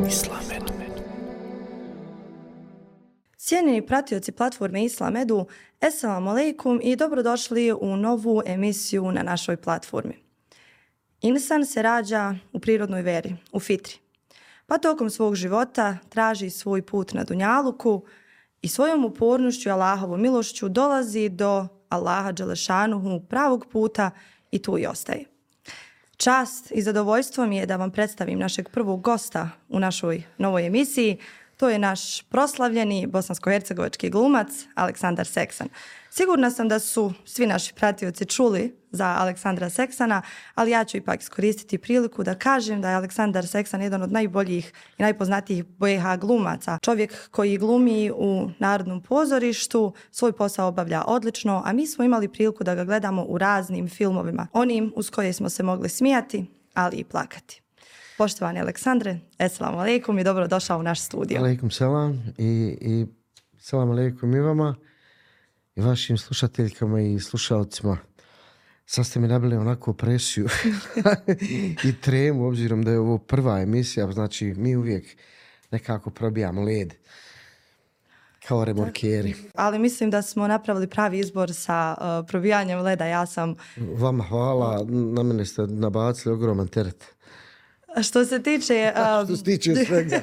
Islamedu. Cijenjeni pratioci platforme Islamedu, Esselamu alaikum i dobrodošli u novu emisiju na našoj platformi. Insan se rađa u prirodnoj veri, u fitri. Pa tokom svog života traži svoj put na dunjaluku i svojom upornošću i Allahovom milošću dolazi do Allaha Đelešanuhu pravog puta i tu i ostaje. Čast i zadovoljstvo mi je da vam predstavim našeg prvog gosta u našoj novoj emisiji. To je naš proslavljeni bosansko-hercegovački glumac Aleksandar Seksan. Sigurna sam da su svi naši pratioci čuli za Aleksandra Seksana, ali ja ću ipak iskoristiti priliku da kažem da je Aleksandar Seksan jedan od najboljih i najpoznatijih BiH glumaca. Čovjek koji glumi u Narodnom pozorištu, svoj posao obavlja odlično, a mi smo imali priliku da ga gledamo u raznim filmovima. Onim uz koje smo se mogli smijati, ali i plakati. Poštovani Aleksandre, esselamu alaikum i dobrodošao u naš studio. Alaikum selam i selam alaikum i vama i vašim slušateljkama i slušalcima. Sad ste mi nabili onako presiju i tremu, obzirom da je ovo prva emisija, znači mi uvijek nekako probijamo led kao remorkeri. Ali mislim da smo napravili pravi izbor sa probijanjem leda. Ja sam... Vama hvala, na mene ste nabacili ogroman teret. Što se tiče... Što se tiče svega.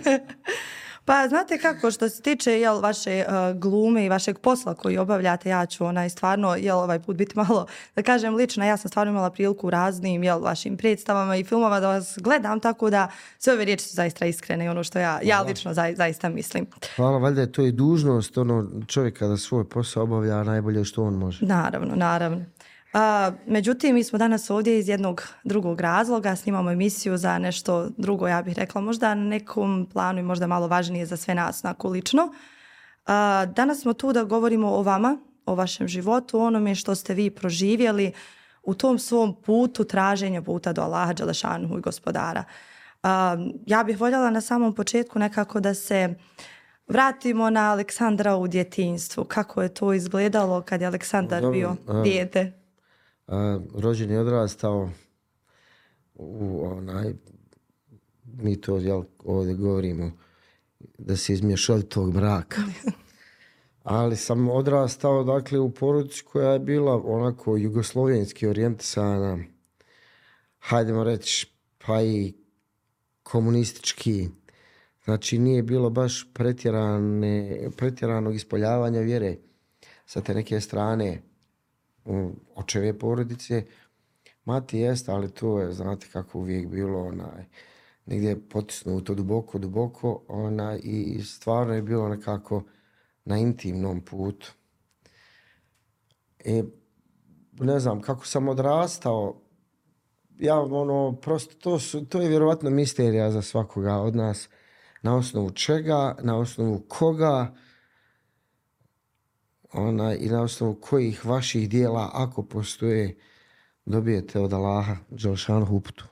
Pa znate kako, što se tiče vaše glume i vašeg posla koji obavljate, ja ću stvarno ovaj put biti malo, da kažem lično, ja sam stvarno imala priliku u raznim vašim predstavama i filmova da vas gledam, tako da sve ove riječi su zaista iskrene i ono što ja lično zaista mislim. Hvala, valjda je to i dužnost čovjeka da svoj posao obavlja najbolje što on može. Naravno. Međutim, mi smo danas ovdje iz jednog drugog razloga, snimamo emisiju za nešto drugo, ja bih rekla, možda na nekom planu i možda malo važnije za sve nas onako lično. Danas smo tu da govorimo o vama, o vašem životu, o onome što ste vi proživjeli u tom svom putu traženja puta do Allaha Đelešanuhu i Gospodara. Ja bih voljela na samom početku nekako da se vratimo na Aleksandra u djetinjstvu. Kako je to izgledalo kad je Aleksandar bio dijete? Rođen je odrastao mi to ovdje govorimo da se iz mješovitog braka. Ali sam odrastao dakle u porodici koja je bila onako jugoslovenski orijentisana, hajdemo reći pa i komunistički. Znači nije bilo baš pretjeranog ispoljavanja vjere sa te neke strane očeve porodice. Mati jest, ali to je, znate kako uvijek bilo, negdje potisnuto duboko, i stvarno je bilo nekako na intimnom putu. Ne znam, kako sam odrastao, prosto to je vjerovatno misterija za svakoga od nas. Na osnovu čega, na osnovu koga, i na osnovu kojih vaših dijela, ako postoje, dobijete od Allaha Đelešanuhu uputu.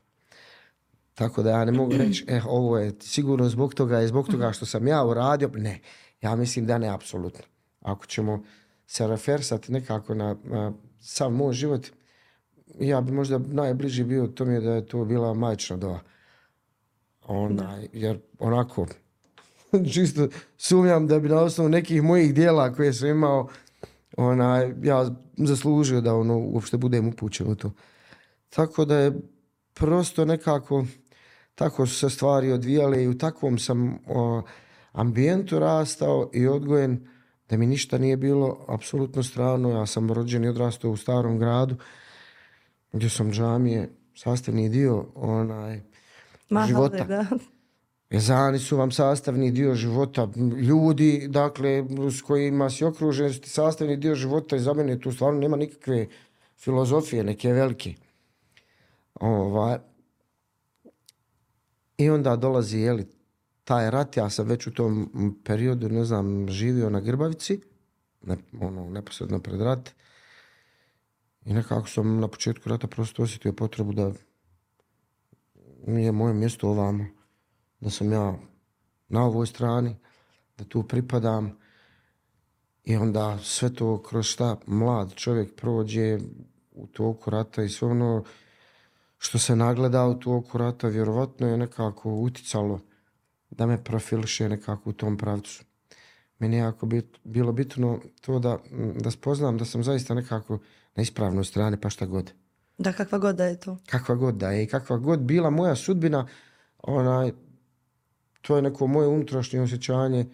Tako da ja ne mogu reći, ovo je sigurno zbog toga što sam ja uradio. Ne, ja mislim da ne, apsolutno. Ako ćemo se refersati nekako na sam moj život, ja bi možda najbliži bio tome da je to bila majčina dova. Jer onako... Čisto sumnjam da bi na osnovu nekih mojih dijela koje sam imao ja zaslužio da uopšte budem upućen u to. Tako da je prosto nekako tako su se stvari odvijale i u takvom sam ambijentu rastao i odgojen da mi ništa nije bilo apsolutno strano. Ja sam rođen i odrastao u Starom gradu gdje sam džamije sastavni dio života. Da. Ezani su vam sastavni dio života. Ljudi, dakle, s kojima si okružen, su ti sastavni dio života i za mene tu stvarno nema nikakve filozofije, neke velike. I onda dolazi, taj rat, ja sam već u tom periodu, živio na Grbavici, neposredno pred rat. I nekako sam na početku rata prosto osjetio potrebu da nije moje mjesto ovamo. Da sam ja na ovoj strani, da tu pripadam i onda sve to kroz šta mlad čovjek prođe u toku rata i sve ono što se nagleda u toku rata vjerovatno je nekako uticalo da me profiliše nekako u tom pravcu. Meni je jako bilo bitno to da spoznam da sam zaista nekako na ispravnoj strani, pa šta god. Da, kakva god da je to. Kakva god da je i kakva god bila moja sudbina, to je neko moje unutrašnje osjećanje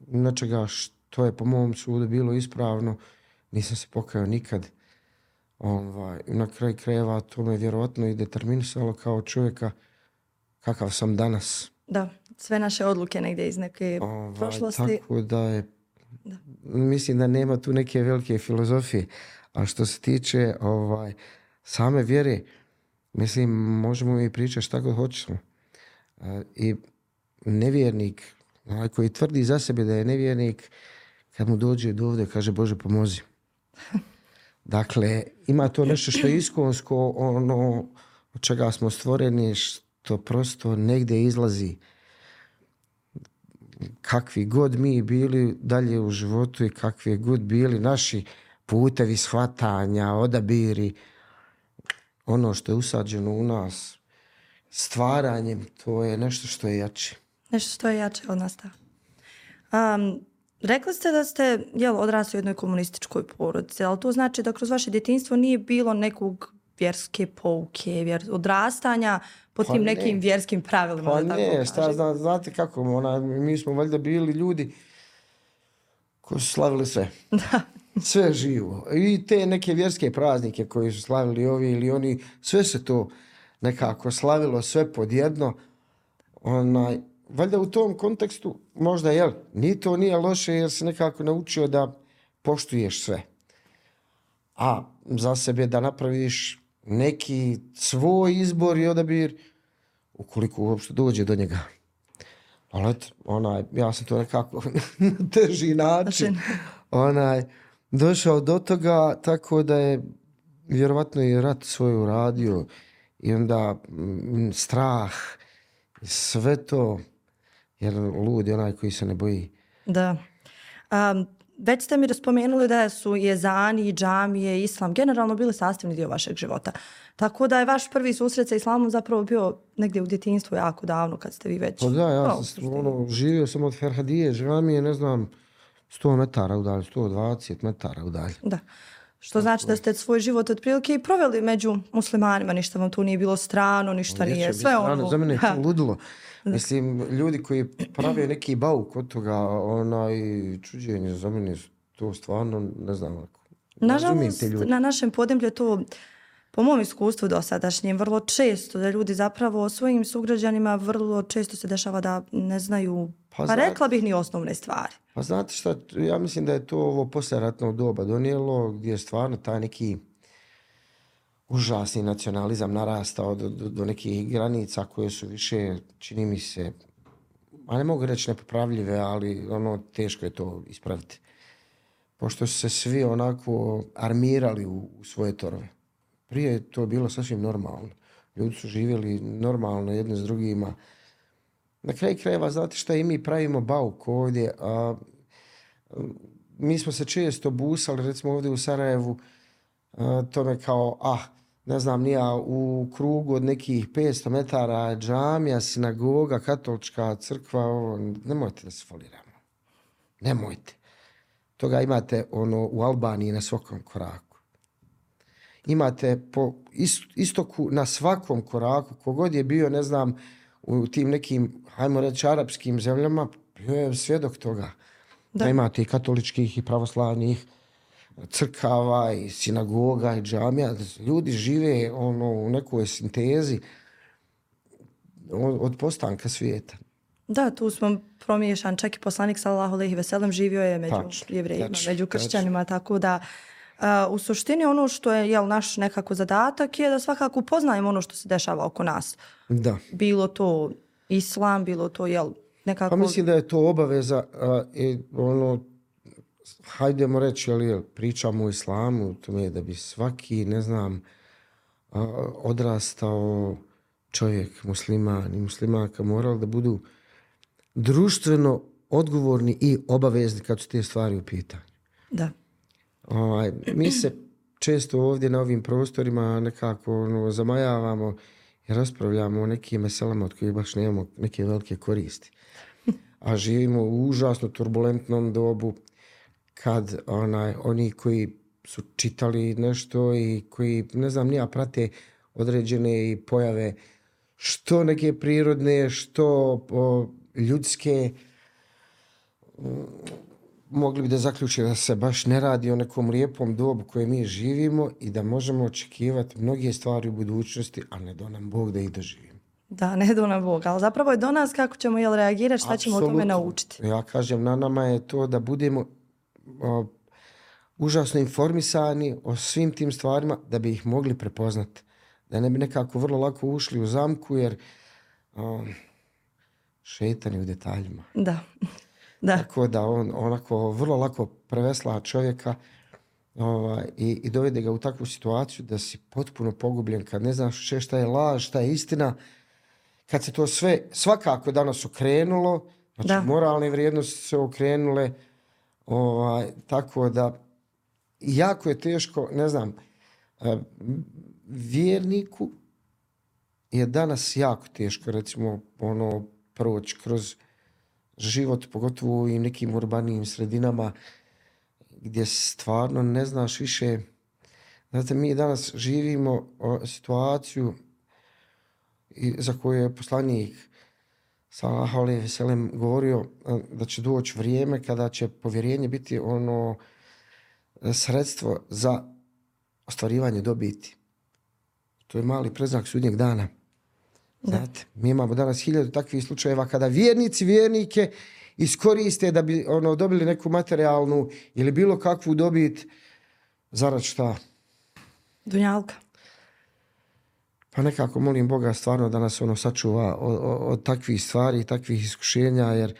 nečega što je po mom sudu bilo ispravno. Nisam se pokajao nikad. Na kraju krajeva to me vjerovatno i determinisalo kao čovjeka kakav sam danas. Da, sve naše odluke negdje iz neke prošlosti. Tako da je, mislim da nema tu neke velike filozofije. A što se tiče same vjere, mislim, možemo i pričati šta god hoćemo. I nevjernik, onaj koji tvrdi za sebe da je nevjernik, kad mu dođe do ovdje, kaže Bože pomozi. Dakle, ima to nešto što je iskonsko, ono od čega smo stvoreni, što prosto negdje izlazi. Kakvi god mi bili dalje u životu i kakvi god bili naši putevi shvatanja, odabiri, ono što je usađeno u nas stvaranjem, to je nešto što je jače. Nešto što je jače od nas. Rekli ste da ste odrasli u jednoj komunističkoj porodici, ali to znači da kroz vaše djetinjstvo nije bilo nekog vjerske pouke, odrastanja po tim nekim vjerskim pravilima. Pa ne, znate kako, mi smo valjda bili ljudi koji su slavili sve. Da. Sve živo. I te neke vjerske praznike koji su slavili ovi ili oni, sve se to nekako slavilo, sve podjedno. Valjda u tom kontekstu možda ni to nije loše jer se nekako naučio da poštuješ sve. A za sebe da napraviš neki svoj izbor i odabir ukoliko uopšte dođe do njega. Ali ja sam to nekako na teži način došao do toga, tako da je vjerovatno i rat svoj uradio i onda strah, sve to, jer lud je onaj koji se ne boji. Da. Već ste mi spomenuli da su jezani, džamije, islam generalno bili sastavni dio vašeg života. Tako da je vaš prvi susret sa islamom zapravo bio negdje u djetinjstvu jako davno kad ste vi već... Pa da, ja sam živio sam od Ferhadije, džamije, ne znam, 100 metara udalje, 120 metara udalje. Da. Što znači da ste svoj život otprilike i proveli među muslimanima, ništa vam tu nije bilo strano, ništa nije, sve ono... Za mene je to ludilo. Mislim, ljudi koji prave neki bauk od toga, čuđenje, za mene to stvarno, ne znam, nažalost, na našem podneblju je to, po mom iskustvu dosadašnjem, vrlo često da ljudi zapravo o svojim sugrađanima vrlo često se dešava da ne znaju, pa rekla bih, ni osnovne stvari. Pa znate šta, ja mislim da je to ovo poslijeratno doba donijelo, gdje je stvarno taj neki užasni nacionalizam narastao do nekih granica koje su više, čini mi se, a ne mogu reći nepopravljive, ali teško je to ispraviti. Pošto su se svi onako armirali u svoje torove. Prije je to bilo sasvim normalno. Ljudi su živjeli normalno jedni s drugima. Na kraju krajeva, znate šta, i mi pravimo bauk ovdje. Mi smo se često busali, recimo ovdje u Sarajevu, tome kao, ne znam, nija u krugu od nekih 500 metara džamija, sinagoga, katolička crkva, nemojte da se foliramo. Nemojte. Toga imate u Albaniji na svakom koraku. Imate po istoku na svakom koraku, kogod je bio, ne znam, u tim nekim, hajmo reći, arapskim zemljama, bio je svjedok toga. Da imate i katoličkih i pravoslavnih crkava i sinagoga i džamija. Ljudi žive u nekoj sintezi od postanka svijeta. Da, tu smo promiješan, čak i poslanik sallallahu alejhi ve sellem živio je među jevrejima, među kršćanima, tako da u suštini ono što je naš nekako zadatak je da svakako upoznajemo ono što se dešava oko nas. Da. Bilo to islam, bilo to nekako... Pa mislim da je to obaveza hajdemo reći, pričamo o islamu, tome da bi svaki, ne znam, odrastao čovjek, musliman i muslimanka morali da budu društveno odgovorni i obavezni kad su te stvari u pitanju. Da. Mi se često ovdje na ovim prostorima nekako zamajavamo i raspravljamo o nekim meselama od kojih baš nemamo neke velike koristi. A živimo u užasno turbulentnom dobu kad oni koji su čitali nešto i koji, ne znam, nija prate određene i pojave što neke prirodne, što ljudske, mogli bi da zaključe da se baš ne radi o nekom lijepom dobu koje mi živimo i da možemo očekivati mnoge stvari u budućnosti, a ne do nam Bog da ih doživimo. Da, ne do nam Bog, ali zapravo je do nas kako ćemo reagirati, šta ćemo o tome naučiti. Ja kažem, na nama je to da budemo užasno informisani o svim tim stvarima da bi ih mogli prepoznati. Da ne bi nekako vrlo lako ušli u zamku jer šeitan je u detaljima. Da. Da. Tako da on onako vrlo lako prevesla čovjeka i dovede ga u takvu situaciju da si potpuno pogubljen kad ne znaš šta je laž, šta je istina. Kad se to sve svakako danas okrenulo, znači moralne vrijednosti se okrenule, tako da jako je teško, ne znam, vjerniku je danas jako teško, recimo, proći kroz život, pogotovo u nekim urbanijim sredinama gdje stvarno ne znaš više. Znate, mi danas živimo situaciju za koju je poslanik sallallahu alejhi ve sellem govorio da će doći vrijeme kada će povjerenje biti sredstvo za ostvarivanje dobiti. To je mali predznak sudnjeg dana. Znate, mi imamo danas 1000 takvih slučajeva kada vjernike iskoriste da bi dobili neku materijalnu ili bilo kakvu dobit zarad šta? Dunjalka. Pa nekako molim Boga stvarno da nas sačuva od takvih stvari i takvih iskušenja, jer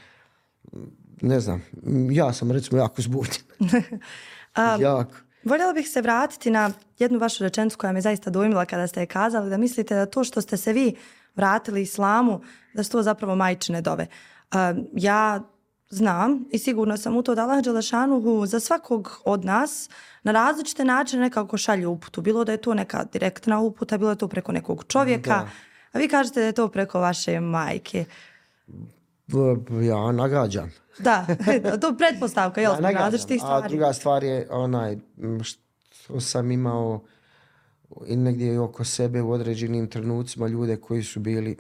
ne znam, ja sam recimo jako zbunjen. Jako. Voljela bih se vratiti na jednu vašu rečenicu koja me zaista dojmila kada ste je kazali, da mislite da to što ste se vi vratili islamu, da su to zapravo majčine dove. Ja znam i sigurno sam u to da Allah dželešanuhu za svakog od nas na različite načine nekako šalje uputu. Bilo da je to neka direktna uputa, bilo da je to preko nekog čovjeka, da. A vi kažete da je to preko vaše majke. Ja nagađam. Da, to je pretpostavka, jel, smo različitih stvari. A druga stvar je što sam imao i negdje oko sebe u određenim trenucima ljude koji su bili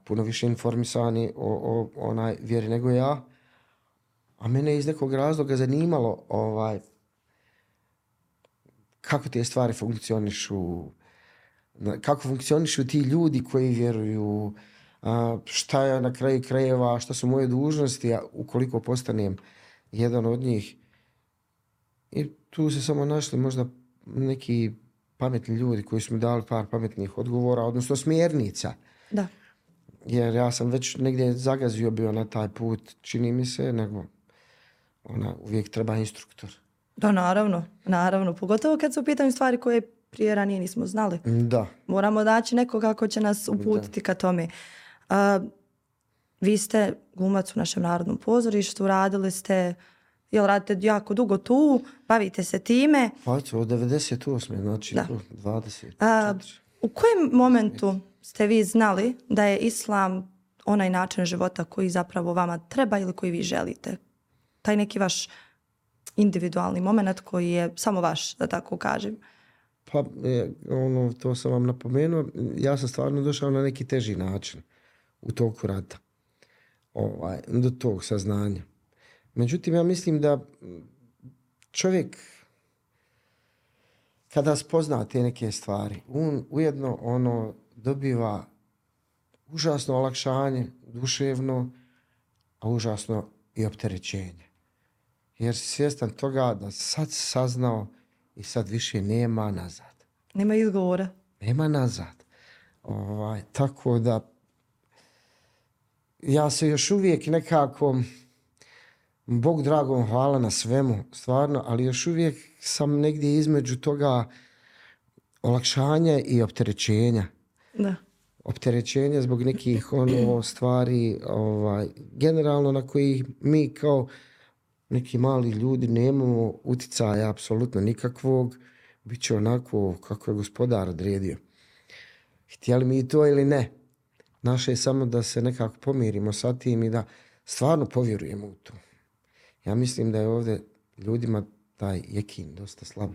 puno više informisani o vjeri nego ja, a mene je iz nekog razloga zanimalo kako te stvari funkcionišu, kako funkcionišu ti ljudi koji vjeruju, šta je na kraju krajeva, šta su moje dužnosti, ukoliko postanem jedan od njih. I tu se samo našli možda neki pametni ljudi koji su mi dali par pametnih odgovora, odnosno smjernica. Da. Jer ja sam već negdje zagazio bio na taj put, čini mi se, nego uvijek treba instruktor. Da, naravno. Pogotovo kad su u pitanju stvari koje prije ranije nismo znali. Da. Moramo naći nekoga ko će nas uputiti ka tome. Vi ste glumac u našem Narodnom pozorištu, radite jako dugo tu, bavite se time. Pa od 98. znači 20. U kojem momentu ste vi znali da je islam onaj način života koji zapravo vama treba ili koji vi želite? Taj neki vaš individualni moment koji je samo vaš, da tako kažem. Pa to sam vam napomenuo. Ja sam stvarno došao na neki teži način u toku rata. Do tog saznanja. Međutim, ja mislim da čovjek kada spozna te neke stvari, on ujedno dobiva užasno olakšanje, duševno, a užasno i opterećenje. Jer si svjestan toga da sad saznao i sad više nema nazad. Nema izgovora. Nema nazad. Tako da ja se još uvijek nekako, Bog dragom hvala na svemu, stvarno, ali još uvijek sam negdje između toga olakšanja i opterećenja. Da. Opterećenja zbog nekih stvari, generalno na koji mi kao neki mali ljudi nemamo uticaja apsolutno nikakvog, bit će onako kako je Gospodar odredio. htjeli mi to ili ne. Naše je samo da se nekako pomirimo sa tim i da stvarno povjerujemo u to. Ja mislim da je ovdje ljudima taj jekin dosta slab.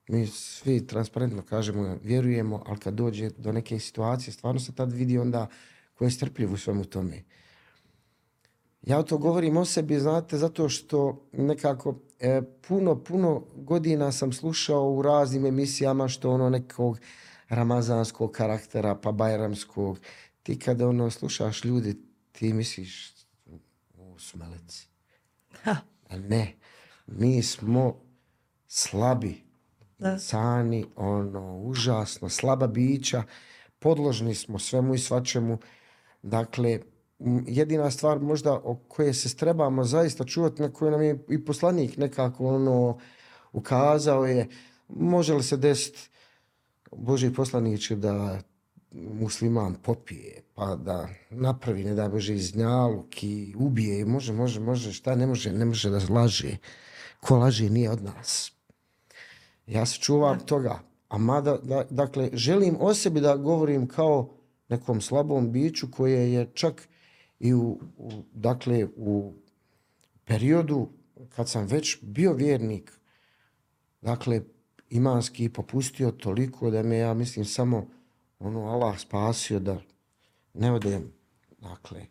Mi svi transparentno kažemo, vjerujemo, ali kad dođe do neke situacije, stvarno se tad vidi onda ko je strpljiv u svemu tome. Ja to govorim o sebi, znate, zato što nekako puno godina sam slušao u raznim emisijama što ono nekog ramazanskog karaktera, pa bajramskog. Ti kada slušaš ljudi, ti misliš, ovo su meleci. A ne, mi smo slabi, insani, užasno, slaba bića, podložni smo svemu i svačemu. Dakle, jedina stvar možda o kojoj se trebamo zaista čuvati, na koju nam je i poslanik nekako ukazao je, može li se desiti, Božji poslaniče, da musliman popije, pa da napravi, ne da Bože, iznjaluk i ubije, može, šta ne može da laže. Ko laže nije od nas. Ja se čuvam toga, a mada, dakle, želim o sebi da govorim kao nekom slabom biću koje je čak i u periodu kad sam već bio vjernik, dakle, imanski popustio toliko da me, ja mislim, samo Allah spasio da ne odem. Dakle,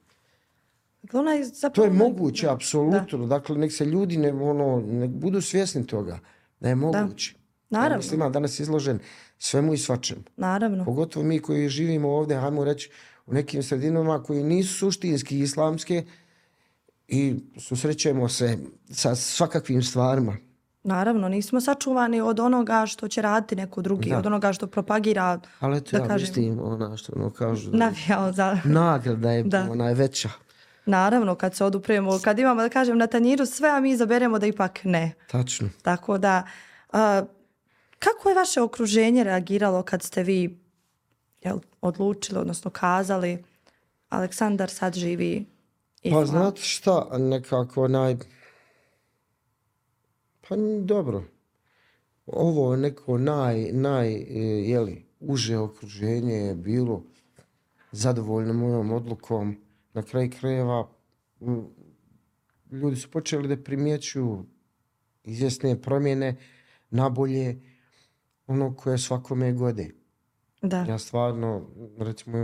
to je moguće, apsolutno. Dakle, nek se ljudi nek budu svjesni toga da je moguće. Naravno. Ja mislim, danas je izložen svemu i svačemu. Naravno. Pogotovo mi koji živimo ovdje, hajmo reći, u nekim sredinama koji nisu suštinski islamske i susrećemo se sa svakakvim stvarima. Naravno, nismo sačuvani od onoga što će raditi neko drugi, od onoga što propagira. Ali eto, ja mislim što kažu. Navijao za... Nagrada je veća. Naravno, kad se odupremo, kad imamo, da kažem, na tanjiru sve, a mi izaberemo da ipak ne. Tačno. Tako da, kako je vaše okruženje reagiralo kad ste vi odlučili, odnosno kazali, Aleksandar sad živi islam? Pa znate šta, nekako pa dobro. Ovo neko uže okruženje je bilo zadovoljno mojom odlukom. Na kraju krajeva ljudi su počeli da primjećuju izvjesne promjene na bolje, koje svakome gode. Da. Ja stvarno, recimo,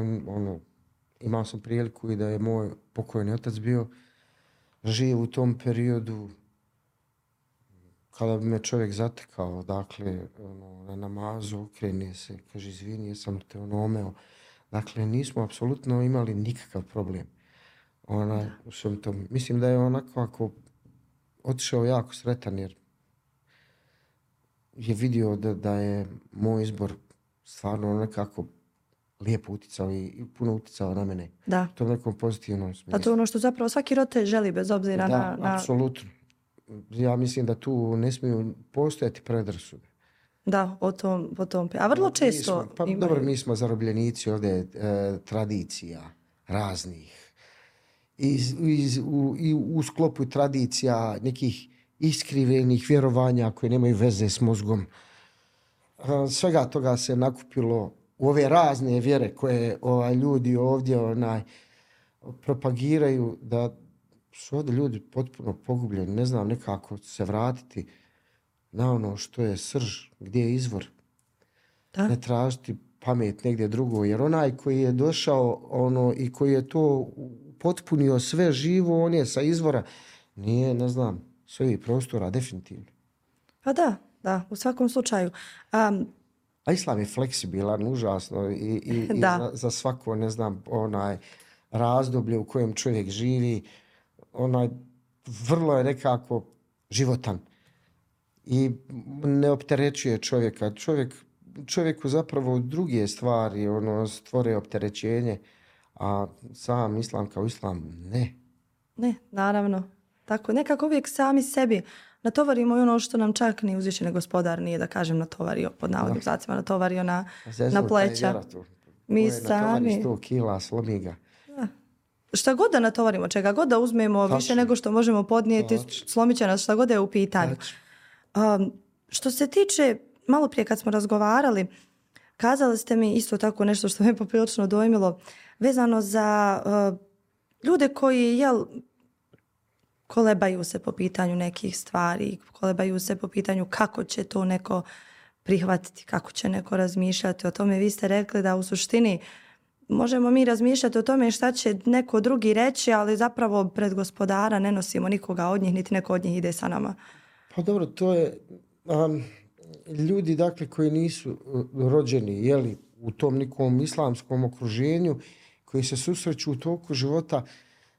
imao sam priliku i da je moj pokojni otac bio živ u tom periodu kada bi me čovjek zatekao, dakle, na namazu, okrene se, kaže, izvini, jesam te omeo. Dakle, nismo apsolutno imali nikakav problem. U svem tom. Mislim da je onako ako otišao jako sretan jer je vidio da je moj izbor stvarno nekako lijepo uticao i puno uticao na mene. Da. To je nekom pozitivnom smislu. Pa to je ono što zapravo svaki roditelj želi bez obzira na... Da, apsolutno. Ja mislim da tu ne smiju postojati predrasude. Da, o tom. A vrlo često... Dobro, mi smo zarobljenici ovdje tradicija raznih. I u sklopu tradicija nekih iskrivenih vjerovanja koje nemaju veze s mozgom. Svega toga se nakupilo u ove razne vjere koje ljudi ovdje propagiraju, da su ovdje ljudi potpuno pogubljeni. Ne znam nekako se vratiti na ono što je srž, gdje je izvor. Da. Ne tražiti pamet negdje drugo, jer onaj koji je došao i koji je to potpunio sve živo, on je sa izvora, nije, ne znam, s ovih prostora, definitivno. Pa da, u svakom slučaju. A islam je fleksibilan, užasno i za svako, ne znam, razdoblje u kojem čovjek živi, vrlo je nekako životan i ne opterećuje čovjeka. Čovjeku zapravo druge stvari stvore opterećenje, a sam islam kao islam ne. Ne, naravno. Tako, nekako uvijek sami sebi natovarimo i ono što nam čak ni uzvišeni gospodar nije, da kažem, natovario, pod navodnim znacima, natovario na pleća. Mi sami. 100 kila, slomi ga. Šta god da natovarimo, čega god da uzmemo više nego što možemo podnijeti, slomit će nas šta god je u pitanju. Što se tiče, malo prije kad smo razgovarali, kazali ste mi isto tako nešto što me poprilično dojmilo, vezano za ljude koji, kolebaju se po pitanju nekih stvari, kolebaju se po pitanju kako će to neko prihvatiti, kako će neko razmišljati o tome. Vi ste rekli da u suštini možemo mi razmišljati o tome šta će neko drugi reći, ali zapravo pred Gospodara ne nosimo nikoga od njih, niti neko od njih ide sa nama. Pa dobro, to je ljudi dakle koji nisu rođeni u tom nekom islamskom okruženju, koji se susreću u toku života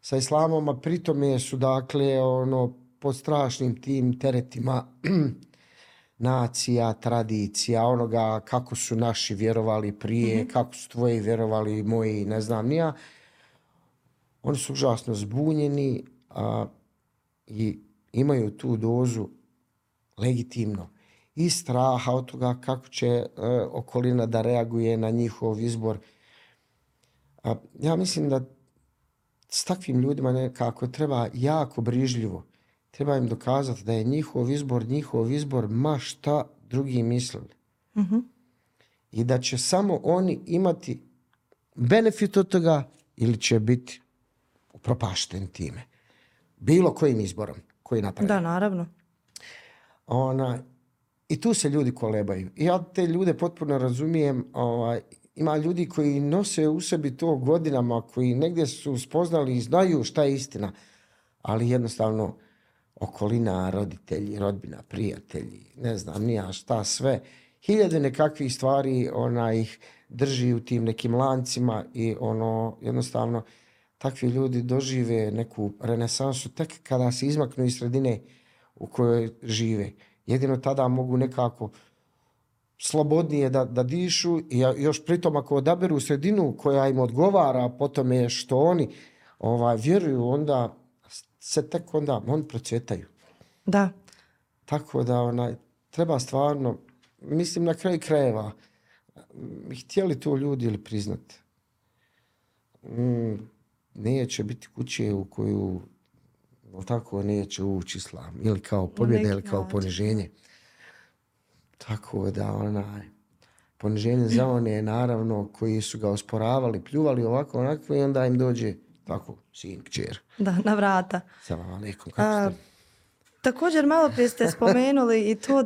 sa islamom, a pritome su dakle pod strašnim tim teretima nacija, tradicija, onoga kako su naši vjerovali prije, kako su tvoji vjerovali, moji, ne znam ni ja. Oni su užasno zbunjeni i imaju tu dozu legitimno i straha od toga kako će okolina da reaguje na njihov izbor. Ja mislim da s takvim ljudima nekako treba jako brižljivo. Treba im dokazati da je njihov izbor ma šta drugi mislili. I da će samo oni imati benefit od toga ili će biti upropašteni time. Bilo kojim izborom koji napravi. Da, naravno. I tu se ljudi kolebaju. I ja te ljude potpuno razumijem. Ima ljudi koji nose u sebi to godinama, koji negdje su spoznali i znaju šta je istina, ali jednostavno okolina, roditelji, rodbina, prijatelji, ne znam ni ja šta sve, hiljade nekakvih stvari ih drži u tim nekim lancima i jednostavno takvi ljudi dožive neku renesansu tek kada se izmaknu iz sredine u kojoj žive. Jedino tada mogu nekako slobodnije da dišu i još pritom ako odaberu sredinu koja im odgovara po tome što oni vjeruju, onda se tek onda oni procvjetaju. Da. Tako da treba stvarno, mislim na kraju krajeva, htjeli to ljudi ili priznati. Neće biti kuće u koju tako neće ući islam. Ili kao pobjeda ili kao poniženje. Tako da poniženje za one naravno koji su ga osporavali, pljuvali ovako onako i onda im dođe tako sin, kćer. Da, na vrata. Salam alejkum, kako ste? Također malo prije ste spomenuli i to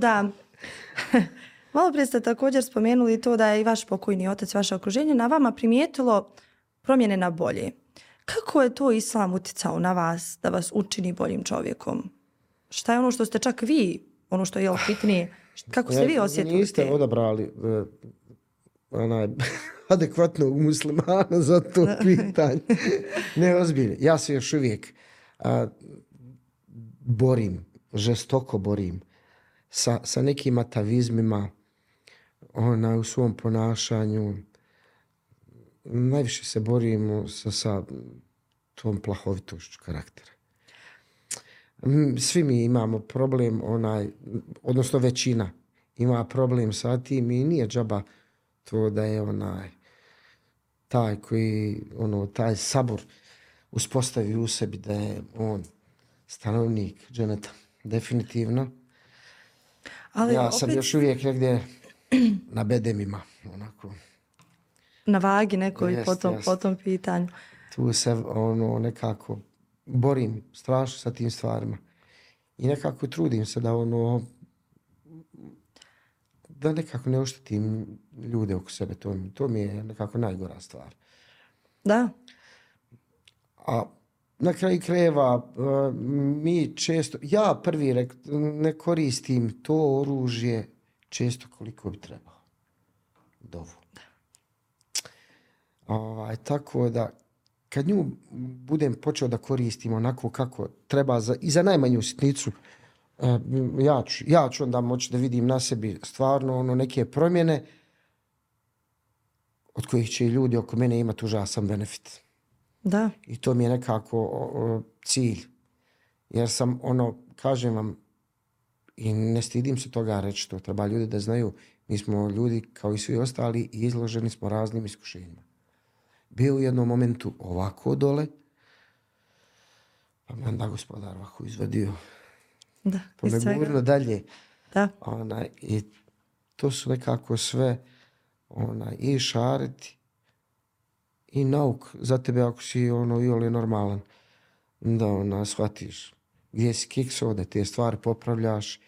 da je i vaš pokojni otac, vaše okruženje na vama primijetilo promjene na bolje. Kako je to islam utjecao na vas da vas učini boljim čovjekom? Šta je ono što ste čak vi, ono što je bitnije, kako ste vi osjetili? Niste odabrali adekvatnog muslimana za to pitanje. Ne, ozbiljno. Ja se još uvijek žestoko borim sa nekim atavizmima u svom ponašanju. Najviše se borimo sa tom plahovitošću karaktera. Svi mi imamo problem, odnosno većina ima problem sa tim i nije džaba to da je taj koji taj sabor uspostavi u sebi da je on stanovnik dženeta. Definitivno. Ali ja sam još uvijek negdje na bedemima. Na vagi nekoj po tom pitanju. Tu se nekako borim strašno sa tim stvarima. I nekako trudim se da nekako ne oštetim ljude oko sebe. To mi je nekako najgora stvar. Da. A na kraju krajeva mi često, ja prvi ne koristim to oružje često koliko bi trebao. Dovu. Tako da kad nju budem počeo da koristim onako kako treba i za najmanju sitnicu, ja ću onda moći da vidim na sebi stvarno neke promjene od kojih će i ljudi oko mene imati užasan benefit. Da. I to mi je nekako cilj. Jer sam kažem vam, i ne stidim se toga reći, to treba ljudi da znaju, mi smo ljudi kao i svi ostali i izloženi smo raznim iskušenjima. Bio u jednom momentu ovako dole, pa me onda Gospodar ovako izvadio. Da, pa me gurno dalje. Da. I to su nekako sve i šariti i nauk za tebe ako si iole normalan. Da shvatiš gdje si kiksao, da te stvari popravljaš.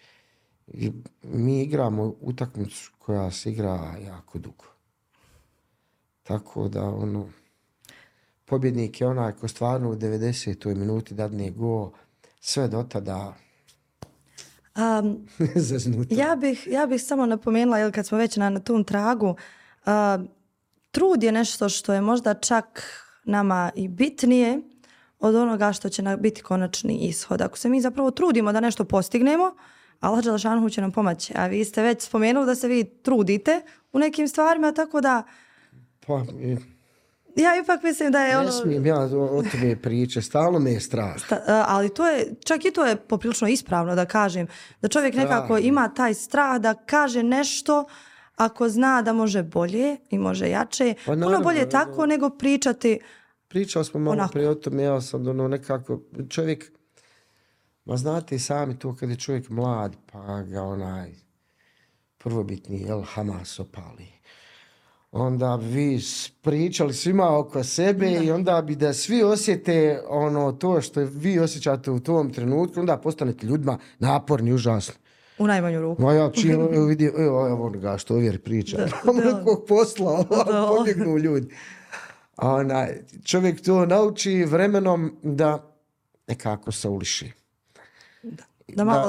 I mi igramo utakmicu koja se igra jako dugo. Tako da pobjednik je onaj ko stvarno u 90. minuti dadne go, sve do tada zaznuto. Ja bih samo napomenula, jer kad smo već na tom tragu, trud je nešto što je možda čak nama i bitnije od onoga što će biti konačni ishod. Ako se mi zapravo trudimo da nešto postignemo, Allah dželešanu će nam pomoći. A vi ste već spomenuli da se vi trudite u nekim stvarima, tako da Pa, ja ipak mislim da je ne smijem ja o tome priče, stalno me je strah. Ali to je, čak i to je poprilično ispravno da kažem, da čovjek nekako ima taj strah da kaže nešto ako zna da može bolje i može jače. Pa naravno, puno bolje tako nego pričati. Pričali smo malo prije o tome, ja sam nekako, čovjek, ma znate i sami to kad je čovjek mlad, pa ga prvobitni Hamas opali. Onda bi vi pričali svima oko sebe i onda bi da svi osjete to što vi osjećate u tom trenutku, onda postanete ljudima naporni, užasno. U najmanju ruku. Ma ja čim vidim, evo ga što ovdje priča. Nekog posla, pobjegnu ljudi. Čovjek to nauči vremenom da nekako se uliši.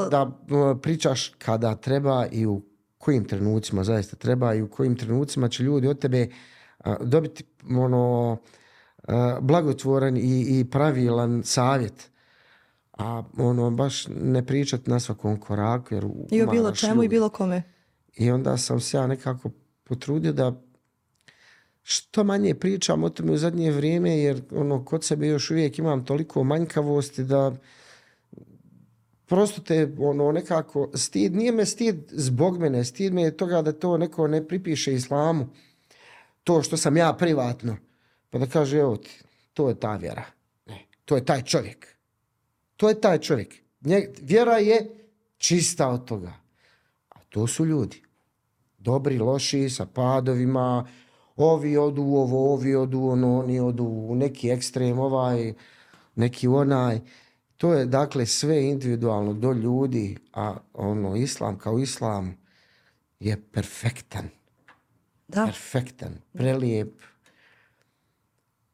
Da pričaš kada treba i u kojim trenucima zaista treba i u kojim trenucima će ljudi od tebe dobiti blagotvoran i pravilan savjet. A baš ne pričati na svakom koraku. Jer i o bilo čemu ljudi. I bilo kome. I onda sam se ja nekako potrudio da što manje pričam o tome u zadnje vrijeme, jer kod sebe još uvijek imam toliko manjkavosti da prosto te nekako stid, nije me stid zbog mene, stid me je toga da to neko ne pripiše islamu, to što sam ja privatno, pa da kaže evo ti, to je ta vjera, ne, to je taj čovjek, to je taj čovjek, vjera je čista od toga, a to su ljudi, dobri, loši, sa padovima, ovi odu ovo, ovi odu ono, oni odu u neki ekstrem, neki onaj. To je dakle sve individualno do ljudi, a islam kao islam je perfektan. Da. Perfektan, prelijep.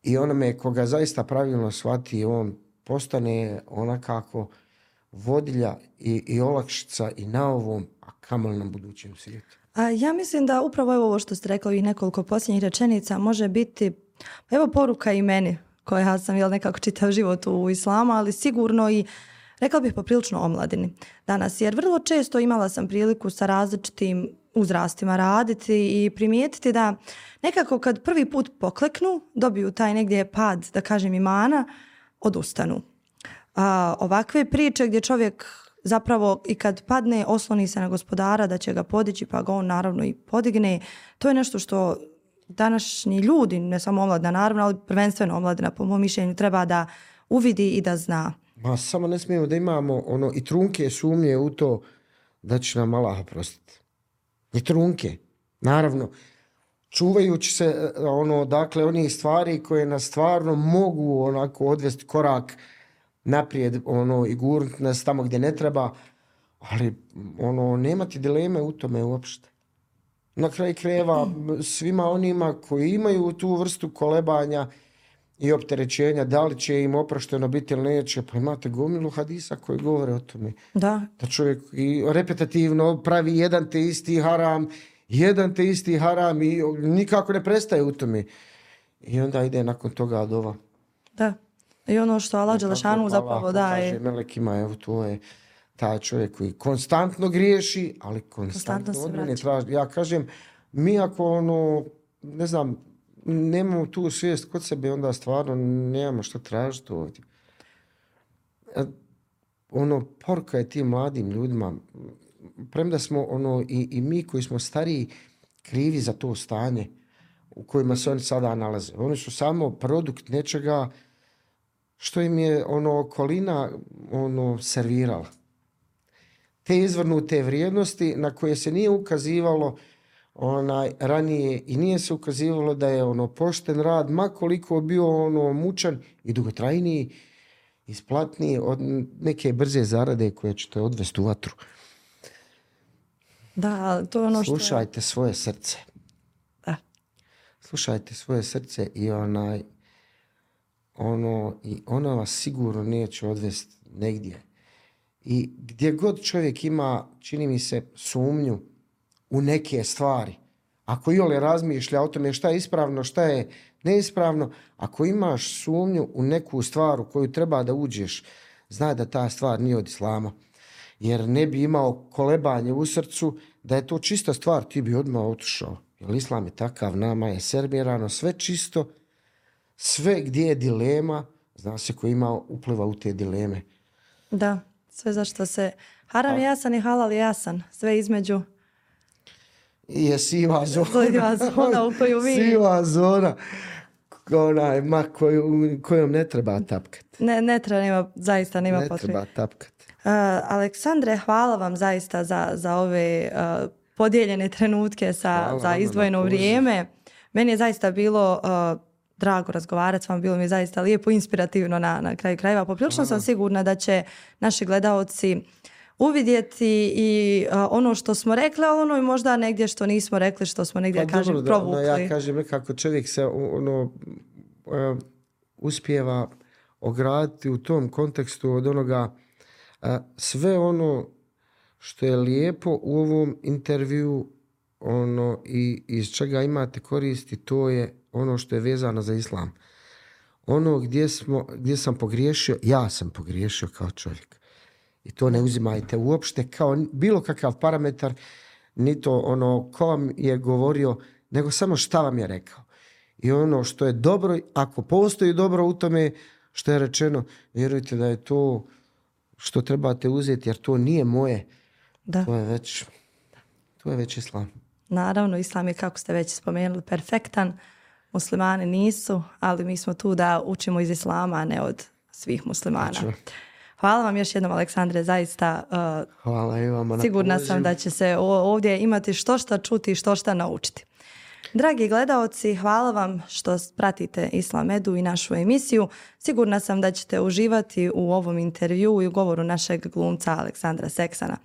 I onome koga zaista pravilno shvati, on postane onakako vodilja i olakšica i na ovom, a kamoli na budućem svijetu. Ja mislim da upravo ovo što ste rekli, ovih nekoliko posljednjih rečenica može biti, evo poruka i meni, koja sam nekako čitav život u islamu, ali sigurno i rekla bih poprilično omladini danas. Jer vrlo često imala sam priliku sa različitim uzrastima raditi i primijetiti da nekako kad prvi put pokleknu, dobiju taj negdje pad, da kažem, imana, odustanu. Ovakve priče gdje čovjek zapravo i kad padne osloni se na Gospodara da će ga podići, pa ga on naravno i podigne, to je nešto što današnji ljudi, ne samo omladina naravno, ali prvenstveno omladina po mom mišljenju treba da uvidi i da zna. Ma samo ne smijemo da imamo i trunke sumnje u to da će nam Allah oprostiti. I trunke, naravno, čuvajući se dakle onih stvari koje nas stvarno mogu onako odvesti korak naprijed i gurnuti nas tamo gdje ne treba, ali nemati dileme u tome uopšte. Na kraju krajeva svima onima koji imaju tu vrstu kolebanja i opterećenja, da li će im oprošteno biti ili neće, pa imate gomilu hadisa koji govore o tome. Da čovjek i repetitivno pravi jedan te isti haram i nikako ne prestaje u tome. I onda ide nakon toga dova. Da. I ono što Allah dželešanu zapravo daje. Kaže melekima, evo to je taj čovjek koji konstantno griješi, ali konstantno od mene traži. Ja kažem, mi ako ne znam, nemamo tu svijest kod sebe, onda stvarno nemamo što tražiti ovdje. Poruka je tim mladim ljudima, premda smo i mi koji smo stariji krivi za to stanje u kojima se oni sada nalaze. Oni su samo produkt nečega što im je okolina servirala. Te izvrnute vrijednosti na koje se nije ukazivalo ranije i nije se ukazivalo da je pošten rad, ma koliko bio mučan i dugotrajniji, isplatniji od neke brze zarade koje ćete odvesti u vatru. Da, to je ono što... Slušajte svoje srce. Da. Slušajte svoje srce i i ono vas sigurno neće odvesti negdje. I gdje god čovjek ima, čini mi se, sumnju u neke stvari, ako iole razmišlja o tome šta je ispravno, šta je neispravno, ako imaš sumnju u neku stvar u koju treba da uđeš, znaj da ta stvar nije od islama. Jer ne bi imao kolebanje u srcu, da je to čista stvar, ti bi odmah otišao. Jer islam je takav, nama je servirano sve čisto, sve gdje je dilema, zna se ko ima upliva u te dileme. Da, sve zašto se haram je jasan i halal je jasan, sve između. Je siva zona. Siva zona u koju vi... Siva zona kojom ne treba tapkati. Ne treba, zaista nema potrebe. Ne treba tapkati. Aleksandre, hvala vam zaista za ove podijeljene trenutke za izdvojeno vrijeme. Meni je zaista bilo drago razgovarati s vama, bilo mi je zaista lijepo, inspirativno na kraju krajeva. Poprilično sam sigurna da će naši gledaoci uvidjeti i ono što smo rekli, ali ono i možda negdje što nismo rekli, što smo negdje, provukli. Ja kažem nekako čovjek se uspijeva ograditi u tom kontekstu od onoga sve ono što je lijepo u ovom intervju i iz čega imate koristi, to je ono što je vezano za islam. Ono gdje sam pogriješio, ja sam pogriješio kao čovjek. I to ne uzimajte uopšte kao bilo kakav parametar, ni to ko vam je govorio, nego samo šta vam je rekao. I ono što je dobro, ako postoji dobro u tome što je rečeno, vjerujte da je to što trebate uzeti, jer to nije moje. Da. To je već islam. Naravno, islam je, kako ste već spomenuli, perfektan. Muslimani nisu, ali mi smo tu da učimo iz islama, a ne od svih muslimana. Znači. Hvala vam još jednom, Aleksandre, zaista. Hvala i vama. Sigurna sam da će se ovdje imati što šta čuti i što šta naučiti. Dragi gledaoci, hvala vam što pratite Islam Edu i našu emisiju. Sigurna sam da ćete uživati u ovom intervjuu i u govoru našeg glumca Aleksandra Seksana.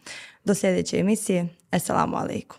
Do sljedeće emisije. Esselamu alaikum.